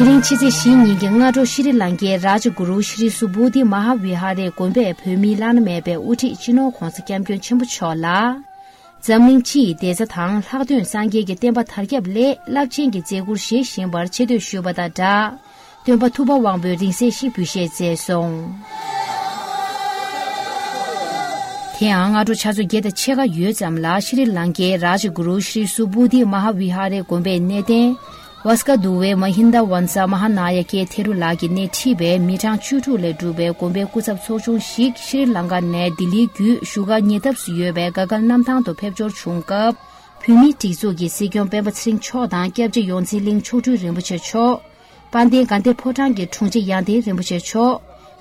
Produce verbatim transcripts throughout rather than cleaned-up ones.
དེ་རིང་ཕྱི་ཚེས་བཞི་ཉིན་གྱི་སྔ་དྲོ་ཤྲི་ལང་ཀའི་རཱཇ་གུ་རུ་ཤྲི་སུ་བོ་དྷི་མ་ཧཱ་བི་ཧཱ་རའི་དགོན་པས་བོད་མིའི་བླ་ན་མེད་པའི་དབུ་ཁྲིད་སྤྱི་ནོར་༧གོང་ས་༧སྐྱབས་མགོན་ཆེན་པོ་མཆོག་ལ། འཛམ་གླིང་སྤྱི་ཡི་བདེ་རྩ་དང་ལྷག་དོན་སངས་རྒྱས་ཀྱི་བསྟན་པ་དར་ཁྱབ་སླད་རླབས་ཆེན་གྱི་མཛད་ཁུར་བཞེས་བཞིན་པར་ཆེ་བསྟོད་ཞུས་པ་དང་སྦྲགས། སྟོན་པ་ཐུབ་པ་དབང་པོའི་རིང་བསྲེལ་ཞིག་འབུལ་བཞེས་མཛད་སོང་། དེ་ཡང་སྔ་དྲོ་ཆུ་ཚོད་བརྒྱད་དང་ཕྱེད་ཀ་ཡོལ་ཙམ་ལ་ཤྲི་ལང་ཀའི་རཱཇ་གུ་རུ་ཤྲི་སུ་བོ་དྷི་མ་ཧཱ་བི་ཧཱ་རའི་དགོན་པའི་གནས་བརྟན། ཝཱ་སྐ་དུ་ཝེ་མ་ཧིན་དཱ་ཝན་ས་མ་ཧཱ་ན་ཡ་ཀའི་ཐེ་རུ་ལགས་ཀྱིས་སྣེ་ཁྲིད་པའི་མི་གྲངས་བཅུ་དྲུག་ལས་གྲུབ་པའི་དགོན་པའི་སྐུ་ཚབ་ཚོགས་ཆུང་ཞིག་ཤྲི་ལང་ཀ་ནས་ལྡི་ལིའི་བརྒྱུད་བཞུགས་སྒར་ཉེ་འདབས་སུ་ཡོད་པའི་ག་གལ་གནམ་ཐང་དུ་ཕེབས་འབྱོར་བྱུང་སྐབས། བོད་མིའི་སྒྲིག་འཛུགས་ཀྱི་སྲིད་སྐྱོང་སྤེན་པ་ཚེ་རིང་མཆོག་དང་སྐྱབས་རྗེ་ཡོངས་འཛིན་གླིང་མཆོག་སྤྲུལ་རིན་པོ་ཆེ་མཆོག་དཔལ་ལྡན་དགའ་ལྡན་ཕོ་བྲང་གི་དྲུང་ཆེ་ཡང་སྟེང་རིན་པོ་ཆེ་མཆོག་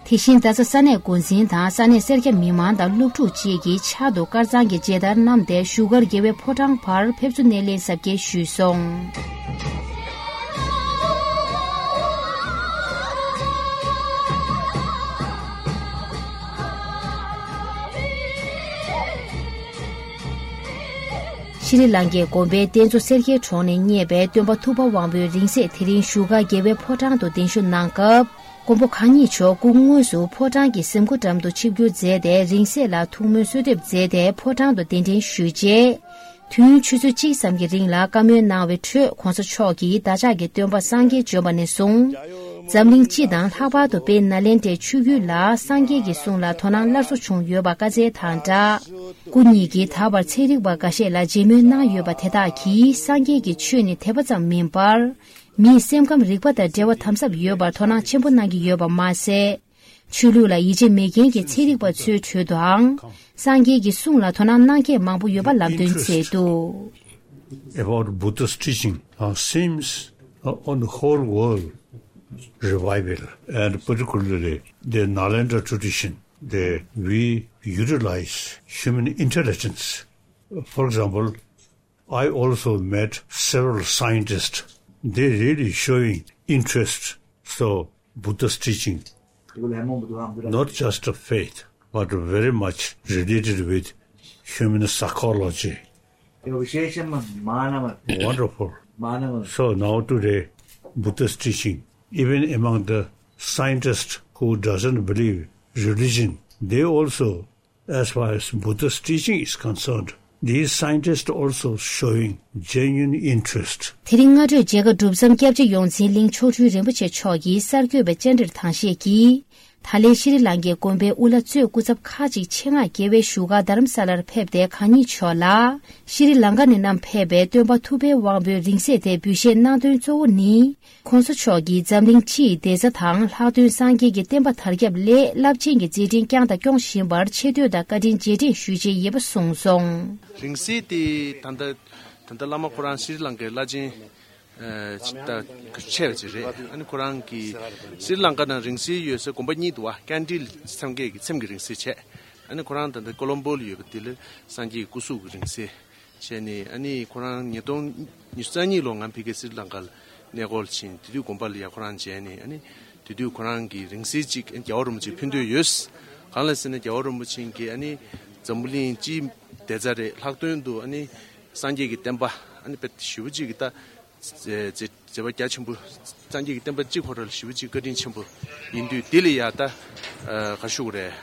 དེ་བཞིན་རྡ་ས་ས་གནས་འགོ་འཛིན་དང་ས་གནས་སེར་སྐྱ་མི་མང་དང་སློབ་ཕྲུག་བཅས་ཀྱིས་ཕྱག་ཏུ་དཀར་གཙང་གི་མཇལ་དར་བསྣམས་ཏེ་བཞུགས་སྒར་རྒྱལ་བའི་ཕོ་བྲང་བར་ཕེབས་བསུ་སྣེ་ལེན་གཟབ་རྒྱས་ཞུས་སོང་། ཤྲི་ལང་ཀའི་དགོན་པའི་རྟེན་གཙོ་སེར་སྐྱའི་གྲོང་ནས་རྙེད་པའི་སྟོན་པ་ཐུབ་པ་དབང་པོའི་རིང་བསྲེལ་དེ་རིང་བཞུགས་སྒར་རྒྱལ་བའི་ཕོ་བྲང་དུ་གདན་ཞུ་གནང་སྐབས། མགོན་པོ་གང་ཉིད་མཆོག་སྐུ་དངོས་སུ་ཕོ་བྲང་གི་གཟིམ་སྒོ་འགྲམ་དུ་ཆིབས་བསྒྱུར་མཛད་དེ་རིང་བསྲེལ་ལ་ཐུགས་སྨོན་གསོལ་འདེབས་མཛད་དེ་ཕོ་བྲང་དུ་གདན་འདྲེན་ཞུས་རྗེས། དུས་ཡུན་ཆུ་ཚོད་གཅིག་ཙམ་གྱི་རིང་ལ་བཀའ་མོལ་གནང་བའི་ཁྲོད་༧གོང་ས་མཆོག་གིས་བདག་ཅག་གི་སྟོན་པ་སངས་རྒྱས་བྱོན་པ་ནས་བཟུང་། འཛམ་གླིང་སྤྱི་དང་ལྷག་པར་དུ་དཔལ་ནཱ་ལེནྡྲའི་ཆོས་བརྒྱུད་ལ་སངས་རྒྱས་ཀྱི་གསུང་ལ་དོ་སྣང་སླར་གསོ་བྱུང་ཡོད་པ་བཀའ་སྩལ་དང་སྦྲགས། སྐུ་ཉིད་ཀྱིས་ད་བར་ཚན་རིག་པ་འགའ་ཤས་ལ་མཇལ་མོལ་གནང་ཡོད་པ་དེ་དག་གིས་སངས་རྒྱས་ཀྱི་ཆོས་ནི་དད་པ་ཙམ་མིན་པར། མིའི་སེམས་ཁམས་རིག་པ་དང་འབྲེལ་བ་དམ་ཟབ་ཡོད་པར་དོ་སྣང་ཆེན་པོ་གནང་གི་ཡོད་པ་མ་ཟད། ཆོས་ལུགས་ལ་ཡིད་ཆེས་མེད་མཁན་གྱི་ཚན་རིག་པ་ཚོའི་ཁྲོད་དུའང་སངས་རྒྱས་ཀྱི་གསུང་ལ་དོ་སྣང་གནང་མཁན་མང་པོ་ཡོད་པ་ལམ་སྟོན་མཛད་འདུག། About Buddha's teaching, uh, seems, uh, on the whole world revival, and particularly the Nalanda tradition, that we utilize human intelligence. For example, I also met several scientists. They really showing interest. So Buddha's teaching, not just a faith, but very much related with human psychology. Wonderful. So now today, Buddha's teaching, even among the scientists who doesn't believe religion, they also, as far as Buddha's teaching is concerned, these scientists also showing genuine interest. དེ་རིང་སྔ་དྲོའི་མཇལ་ཁ་གྲུབ་མཚམས་སྐྱབས་རྗེ་ཡོངས་འཛིན་གླིང་མཆོག་སྤྲུལ་རིན་པོ་ཆེ་མཆོག་གིས་གསར་འགོད་པའི་བཅར་འདྲིར་དང་བཤད་ཀྱིས། ད་ལན་ཤྲི་ལང་ཀའི་དགོན་པའི་དབུ་བླ་གཙོས་སྐུ་ཚབ་ཁག་ཅིག་ཆེད་མངགས་རྒྱལ་བའི་བཞུགས་སྒར་རྡ་རམ་ས་ལར་ཕེབས་ཏེ་གང་ཉིད་མཆོག་ལ་ཤྲི་ལང་ཀ་ནས་བསྣམས་ཕེབས་པའི་སྟོན་པ་ཐུབ་པའི་དབང་པོའི་རིང་བསྲེལ་དེ་འབུལ་བཞེས་གནང་དོན་གཙོ་བོ་ནི། ྋགོང་ས་མཆོག་གིས་འཛམ་གླིང་སྤྱི་ཡི་བདེ་རྩ་དང་ལྷག་དོན་སངས་རྒྱས་ཀྱི་བསྟན་པ་དར་ཁྱབ་སླད་རླབས་ཆེན་གྱི་མཛད་འཕྲིན་བསྐྱངས་དང་སྐྱོང་བཞིན་པར་ཆེ་བསྟོད་དང་བཀའ་དྲིན་རྗེས་དྲན་ཞུ་ཆེད་ཡིན་པ་གསུངས་སོང་། རིང་བསྲེལ་དེ་ད་ལྟ་ད་ལྟ་བླ་མ་ཁོ་རང་ཤྲི་ལང་ཀའི་བླ་ཆེན་ཨ་ཅིག་ད་ཆེ་བ་ཅིག་རེད། ཨ་ནི་ཁོ་རང་གིས་ཤྲི་ལང་ཀ་ནང་རིང་བསྲེལ་ཡོད་ས་དགོན་པ་གཉིས་འདུག་བ། ཀན་ཊིལ་སངས་རྒྱས་ཀྱི་ཚེམས་ཀྱི་རིང་བསྲེལ་བྱས། ཨ་ནི་ཁོ་རང་ད་ལྟ་ཀོ་ལོམ་པོ་ལ་ཡོད་པ་དེ་ལ་སངས་རྒྱས་ཀྱི་སྐུ་གཟུགས་ཀྱི་རིང་བསྲེལ། བྱས་ནས་ཨ་ནི་ཁོ་རང་ཉིས་སྟོང་ཉི་ཤུ་རྩ་གཉིས་ལོ་ང་ཕ་གིར་སི་རི་ལང་ཀ་ལ་གནས་སྐོར་ཕྱིན། དེ་དུས་དགོན་པ་ལ་ཡ་ཁོ་རང་མཇལ་ནས་ཨ་ནི་དེ་དུས་ཁོ་རང་གིས་རིང་བསྲེལ་གཅིག་རྒྱལ་བ་རིན་པོ་ཆེ་ཕུལ་འདོད་ཡོད། གང་ལ་ཟེར་ན་རྒྱལ་བ་རིན་པོ་ཆེ་གིས་ཨ་ནི་འཛམ་བུ་གླིང་སྤྱིའི་བདེ་རྩ་རེད། ལྷག་དོན་དུ་ཨ་ནི་སངས་རྒྱས་ཀྱི་བསྟན་པ་ཨ་ནི་དཔེ་ཞེ་པོ་ཅིག་གི་ད་མཛད་མཛད་པ་རྒྱ་ཆེན་པོ། སངས་རྒྱས་ཀྱི་བསྟན་པ་སྤྱི་ཁོ་ར་ལ་ཞེ་པོ་ཅིག་བཀའ་དྲིན་ཆེན་པོ་ཡིན་དུས་དེ་ལ་ཡ་ད་ག་ཞུ་དགོས་རེད།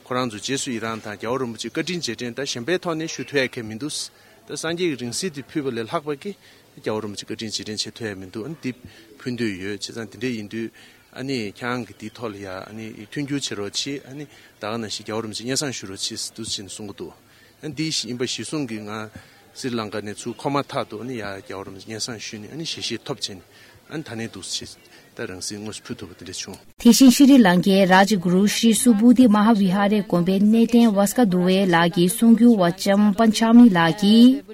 ཁོ་རང་ཚོ་རྗེས་སུ་ཡི་རང་དང་རྒྱལ་བ་རིན་པོ་ཆེ་བཀའ་དྲིན་རྗེས་དྲན་ད་གཞན་པའི་ཐོག་ནས་ཞུ་ཐུབ་ཡ་གང་མི་འདུག། ད་སངས་རྒྱས་ཀྱི་རིང་བསྲེལ་དེ་ཕུལ་བ་ལས་ལྷག་པ་གི་རྒྱལ་བ་རིན་པོ་ཆེ་བཀའ་དྲིན་རྗེས་དྲན་བྱེད་ཐུབ་ཡ་མི་འདུག། ཨ་ནི་འདི་ཕུལ་འདོད་ཡོད། བྱས་ཙང་དེ་འདྲ་ཡིན་དུས་ཨ་ནི་ཁྱེད་རང་གི་དེའི་ཐོག་ལ་ཡ་ཨ་ནི་མཐུན་འགྱུར་བྱེད་རོགས་གྱིས། ཨ་ནི་ད་ག་ནང་བཞིན་རྒྱལ་བ་རིན་པོ་ཆེ་སྙན་སེང་ཞུ་རོགས་གྱིས་ཟེར་འདུག་ཟེར་ནས་གསུང་གི་འདུག། ཨ་ནི་འདི་ཡིན་པ་གཞི་བཟུང་གིས་ང་སི་རི་ལང་ཀ་ནས་ཚུར་འཁོར་མ་ཐག་ཏུ་ཨ་ནི་ཡ་རྒྱལ་བ་རིན་པོ་ཆེ་སྙན་སེང་ཞུས་ནས་ཨ་ནི་ཞལ་བཞེས་ཐོབ་བྱས་ནས། ཨ་ནི་ད་ནས་འདུག་ཅེས་ད་རིང་བསྲེལ་དངོས་སུ་ཕུལ་ཐུབ་པ་དེ་འདྲ་བྱུང་། དེ་བཞིན་ཤྲི་ལང་ཀའི་རཱཇ་གུ་རུ་ཤྲི་སུ་བོ་དྷི་མ་ཧཱ་བི་ཧཱ་རའི་དགོན་པའི་གནས་བརྟན་ཝཱ་སྐ་དུ་ཝེ་ལགས་ཀྱིས་གསུང་སྒྱུར་བ་ལྕམ་པན་ཆ་མི་ལགས་ཀྱིས།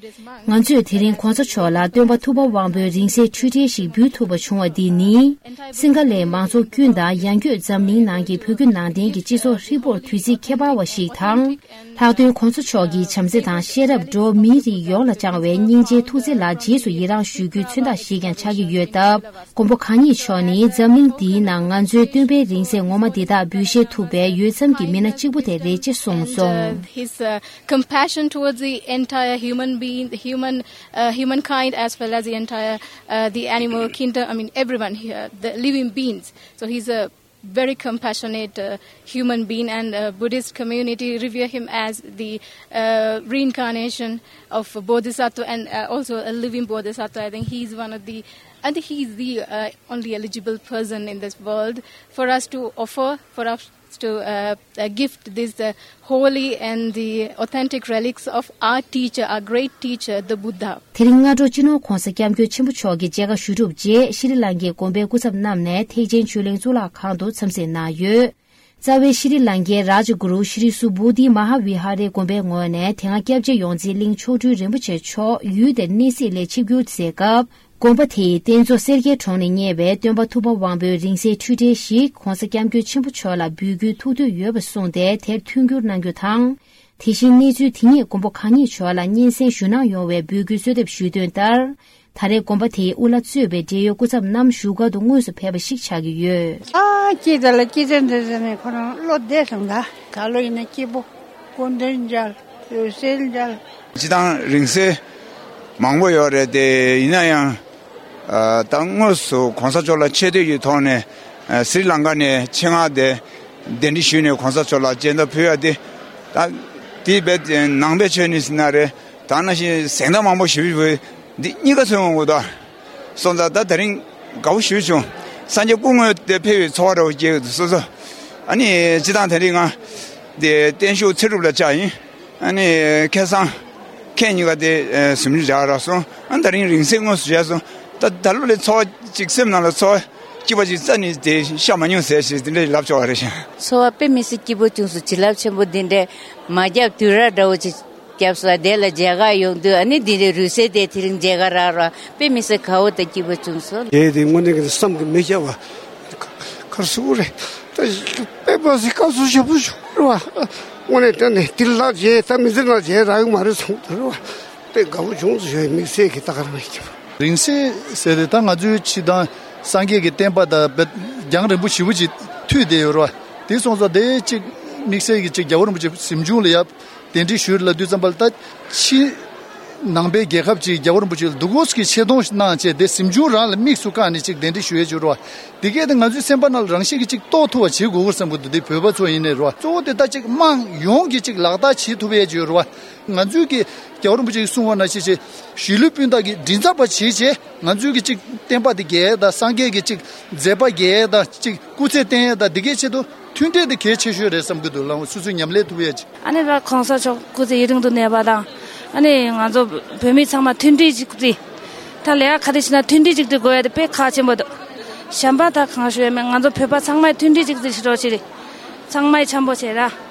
ང་ཚོས་དེ་རིང་གོང་ས་མཆོག་ལ་སྟོན་པ་ཐུབ་པ་དབང་པོའི་རིང་བསྲེལ་འཕྲུལ་འཕྲུལ་ཞིག་འབུལ་ཐུབ་པ་བྱུང་བ་འདི་ནི། སིང་ག་ལའི་མང་ཚོགས་ཀུན་དང་ཡང་སྒོས་འཛམ་གླིང་ནང་གི་བོད་བརྒྱུད་ནང་བསྟན་གྱི་སྤྱི་ཚོགས་ཧྲིལ་པོར་དུས་ཚིགས་ཁྱད་པར་བ་ཞིག་དང་། ལྷག་དོན་གོང་ས་མཆོག་གི་བྱམས་བརྩེ་དང་ཤེས་རབ་སྒྲོ་མིའི་རིགས་ཡོངས་ལ་བཅངས་བའི་སྙིང་རྗེའི་ཐུགས་བརྩེ་ལ་རྗེས་སུ་ཡི་རང་ཞུ་རྒྱུའི་མཚོན་རྟགས་ཤིག་ཀྱང་ཆགས་ཀྱི་ཡོད་སྟབས། མགོན་པོ་གང་ཉིད་མཆོག་ནས། ཡིན། འཛམ་གླིང་འདིའི་ནང་ང་ཚོའི་སྟོན་པའི་རིང་བསྲེལ་ངོ་མ་འདི་དག་འབུལ་བཞེས་ཐུབ་པའི་འོས་འཚམ་གྱི་མི་སྣ་གཅིག་པུ་དེ་རེད་ཅེས་གསུངས་སོང་། His uh, compassion towards the entire human being, the human uh, humankind, as well as the entire uh, the animal kingdom, I mean everyone here, the living beings. So he's a very compassionate uh, human being, and uh, Buddhist community revere him as the uh, reincarnation of a bodhisattva, and uh, also a living bodhisattva. I think he's one of the I think he's the uh, only eligible person in this world for us to offer, for us to uh, uh, gift these uh, holy and the authentic relics of our teacher, our great teacher, the Buddha. དེ་རིང་སྔ་དྲོ་སྤྱི་ནོར་༧གོང་ས་༧སྐྱབས་མགོན་ཆེན་པོ་མཆོག་གི་མཇལ་ཁ་ཞུ་གྲུབ་རྗེས་ཤྲི་ལང་ཀའི་དགོན་པའི་སྐུ་ཚབ་རྣམས་ནས་ཐེག་ཆེན་ཆོས་གླིང་གཙུག་ལག་ཁང་དུ་འཚམས་གཟིགས་གནང་ཡོད། རྩ་བའི་ཤྲི་ལང་ཀའི་རཱ་ཇ་གུ་རུ་ཤྲི་སུ་བོ་དྷི་མ་ཧཱ་བི་ཧ་རའི་དགོན་པའི་ངོས་ནས་དེ་སྔ་སྐྱབས་རྗེ་ཡོངས་འཛིན་གླིང་མཆོག་སྤྲུལ་རིན་པོ་ཆེ་མཆོག་ཡུལ་དེར་གནས་གཟིགས་ལ་ཆིབས་བསྒྱུར་མཛད་སྐབས། དགོན་པ་དེའི་རྟེན་གཙོ་སེར་སྐྱའི་གྲོང་ནས་རྙེད་པའི་སྟོན་པ་ཐུབ་པ་དབང་པོའི་རིང་བསྲེལ་འཕྲུལ་འཕྲུལ་ཞིག་༧གོང་ས་༧སྐྱབས་མགོན་ཆེན་པོ་མཆོག་ལ་འབུལ་རྒྱུའི་ཐུགས་འདོད་ཡོད་པ་གསུངས་ཏེ་དེར་མཐུན་འགྱུར་གནང་རྒྱུ་དང་། དེ་བཞིན་གནས་ཚུལ་དེ་ཉིད་མགོན་པོ་གང་ཉིད་མཆོག་ལ་སྙན་སེང་ཞུ་གནང་ཡོང་བའི་འབོད་སྐུལ་གསོལ་འདེབས་ཞུས་དོན་ལྟར། ད་རེས་དགོན་པ་དེའི་དབུ་བླ་གཙོས་པའི་འབྲེལ་ཡོད་སྐུ་ཚབ་རྣམས་བཞུགས་སྒར་དུ་དངོས་སུ་ཕེབས་པ་ཞིག་ཆགས་ཀྱི་ཡོད། ཨ་ཅེ་ད་ལ་ཅེ་ཙན་དྲ་ཟེར་ནས་ཁོ་རང་བློ་བདེ་སོང་ད། ད་ལོ་ཡིན་ན་སྐྱིད་པོ། སྐུ་མདུན་མཇལ། འོད་གསལ་མཇལ། སྤྱི་བཏང་རིང་བསྲེལ་མང་པོ་ཡོད་རེད་དེ། ཡིན་ན་ཡང་ཨ་ད་དངོས་སུ་གོང་ས་མཆོག་ལ་ཆེ་བསྟོད་ཀྱི་ཐོག་ནས་ཨ་སི་རི་ལང་ཀ་ནས་ཆེད་མངགས་ཏེ་གདན་འདྲེན་ཞུས་ནས་གོང་ས་མཆོག་ལ་མཇལ་འདོན་ཕུལ་ཡ་དེ། ད་དེ་བས་ནང་པའི་ཆོས་ནི་ཟེར་ན་རེད། ད་ནང་བཞིན་གཟེངས་རྟགས་མང་པོ་ཞུ་བའི་འདི་གཉིས་ཀ་མཚོན་འོང་གི་འདུག་སོང་ཙང་ད་དེ་རིང་དགའ་བོ་ཞེ་པོ་བྱུང་། སངས་རྒྱས་སྐུ་དངོས་དེ་ཕེབས་པའི་ཚོར་བ་འདྲ་བོ་སྐྱེས་ཀྱི་འདུག་སོ་སོ། ཨ་ནི་སྤྱི་བཏང་དེ་རིང་ང་དེ་བརྟན་བཞུགས་ཚེ་སྒྲུབ་ལ་བཅར་ཡིན། ཨ་ནི་ཁ་སང་ཁྱེད་གཉིས་ཀ་དེ་གཟིམ་ཆུང་བཞག་རག་སོང་། ཨ་ནི་དེ་རིང་རིང་བསྲེལ་དངོས་སུ་མཇལ་སོང་། ད་ད་ལོ་ལས་ཚོར་བ་ཅིག་སེམས་ནང་ལ་ཚོར་བ་སྐྱིད་པ་ཅིག་རྩ་ནས་དེ་ཤར་མ་མྱོང་ཟེར་ཞེས་དེ་འདྲ་ལབ་ཆོག་པ་རེད་ཤག་ཚོར་བ་དཔེ་མི་སྲིད་སྐྱིད་པོ་བྱུང་སོང་། བྱིན་རླབས་ཆེན་པོ་འདི་འདྲ་མ་བརྒྱབ་དུས་རབས་འདྲ་བོ་ཅིག་བརྒྱབ་སོང་། དེ་ལ་མཇལ་ཁ་ཡོང་དུས་ཨ་ནི་འདི་འདྲའི་རུས་སེལ་དེ་དེ་རིང་མཇལ་ཁ་རག་ར་དཔེ་མི་སྲིད་དགའ་བོ་དང་སྐྱིད་པོ་བྱུང་སོང་། དེ་དེ་དངོས་གནས་ཀྱི་བསམ་གྱིས་མི་ཁྱབ་པ་ག་རེ་ཟེར་དགོས་རེད། ད་དཔེ་མ་སྲིད་སྐབས་སུ་ཞབས་སུ་ཞུ་རེད་བ། དངོས་གནས་དྲན་ནས་དེ་ལ་མཇལ་ད་མི་ཚེ་ནང་མཇལ་རག་གི་མ་རེད་བསམ་གྱི་འདུག་རེད་བ། དཔེ་དགའ་བོ་བྱུང་སོང་ཞུ་ཡ་དམིགས་བསལ་གྱི་ད་ག་རང་ཡིན་གྱི། རིང་བསྲེལ་ཟེར་དེ་ད་ང་ཚོའི་ཕྱི་དང་སངས་རྒྱས་ཀྱི་བསྟན་པ་དང་རྒྱང་རིང་པོ་ཞེ་པོ་ཅིག་མཐུད་བསྡད་ཡོད་རེད་བ། དེ་སོང་ཙང་དེ་གཅིག་དམིགས་བསལ་གྱི་གཅིག་རྒྱལ་བ་རིན་པོ་ཆེ་གཟིམ་ཆུང་ལ་ཡ་གདན་འདྲེན་ཞུས་ལབ་དུས་ཙམ་པ་ལ་ད་ཕྱི་ནང་པའི་རྒྱལ་ཁབ་ཅིག་རྒྱལ་བ་རིན་པོ་ཆེ་ལ་འདུག་གོ་ཀྱི་ཆེ་མཐོང་གནང་བྱས་དེ་གཟིམ་ཆུང་རང་ལ་དམིགས་སུ་བཀར་ནས་གཅིག་གདན་འདྲེན་ཞུ་ཡས་བྱུང་རེད་བ། དེ་གས་དེ་ང་ཚོའི་སེམས་པ་ནང་ལ་རང་བཞིན་གྱི་གཅིག་རྟོགས་ཐུབ་པ་བྱེད་དགོས་ཀྱི་བསམ་གྱི་འདུག་དེ་བོད་པ་ཚོ་ཡིན་ནའི་རེད་བ། གཙོ་བོ་དེ་ད་གཅིག་དམངས་ཡོངས་ཀྱིས་གཅིག་ལག་བསྟར་བྱེད་ཐུབ་ཡས་བྱུང་རེད་བ། ང་ཚོའི་གི་རྒྱལ་བ་རིན་པོ་ཆེ་གིས་གསུངས་པ་ནང་བཞིན་བྱས་གཞིས་ལུས་སྤུན་ཟླ་གི་མགྲིན་ཚབ་པ་བྱས་བྱས་ང་ཚོའི་གི་གཅིག་བསྟན་པ་དེ་རྒྱས་དང་སངས་རྒྱས་ཀྱི་གཅིག་མཛད་པ་རྒྱས་དང་གཅིག་སྐུ་ཚེ་བརྟན་ཡས་དང་འདི་གའི་ཆེད་དུ་མཐུན་སྒྲིལ་དེ་གལ་ཆེ་ཤོས་རེད་བསམ་གྱི་འདུག་ལགས་སོ་སོས་ཉམས་ལེན་ཐུབ་ཡས་ཅིག་ཨ་ནི་ད་གོང་ས་མཆོག་སྐུ་ཚེ་ཡུན་རིང་དུ་གནས་པ་དང་། ཨ་ནི་ང་ཚོ་བོད་མི་ཚང་མ་མཐུན་སྒྲིལ་ཅིག་བརྩི། ད་ལས་ཀ་ག་རེ་བྱེད་ན་མཐུན་སྒྲིལ་ཅིག་བརྩི་དགོས་ཡ་དེ་དཔེ་ཁག་ཆེན་པོ་འདུག་གཞན་པ་ད་གང་ཞུ་ཡ་མེད། ང་ཚོ་བོད་པ་ཚང་མས་མཐུན་སྒྲིལ་ཅིག་བརྩི་ཤེས་རོགས་བྱེད་རེད། ཚང་མས་འཆམ་པོ་བྱེད་ར།